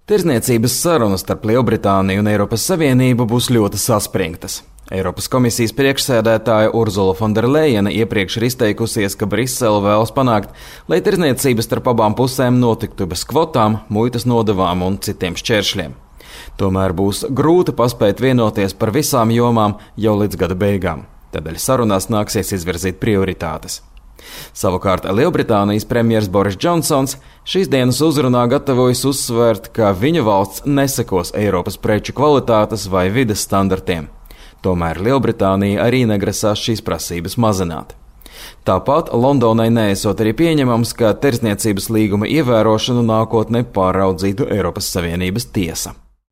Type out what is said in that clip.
Tirdzniecības sarunas starp Lielbritāniju un Eiropas Savienību būs ļoti saspringtas. Eiropas komisijas priekšsēdētāja Urzula Fonderlejena iepriekš ir izteikusies, ka Brisele vēlas panākt, lai tirdzniecība starp abām pusēm notiktu bez kvotām, muitas nodevām un citiem šķēršļiem. Tomēr būs grūti paspēt vienoties par visām jomām jau līdz gada beigām. Tādēļ sarunās nāksies izvirzīt prioritātes. Savukārt Lielbritānijas premjers Boris Džonsons šīs dienas uzrunā gatavojas uzsvērt, ka viņa valsts nesekos Eiropas preču kvalitātes vai vides standartiem. Tomēr Lielbritānija arī negrasās šīs prasības mazināt. Tāpat Londonai neesot arī pieņemams, ka tirdzniecības līguma ievērošanu nākotnē pāraudzītu Eiropas Savienības tiesa.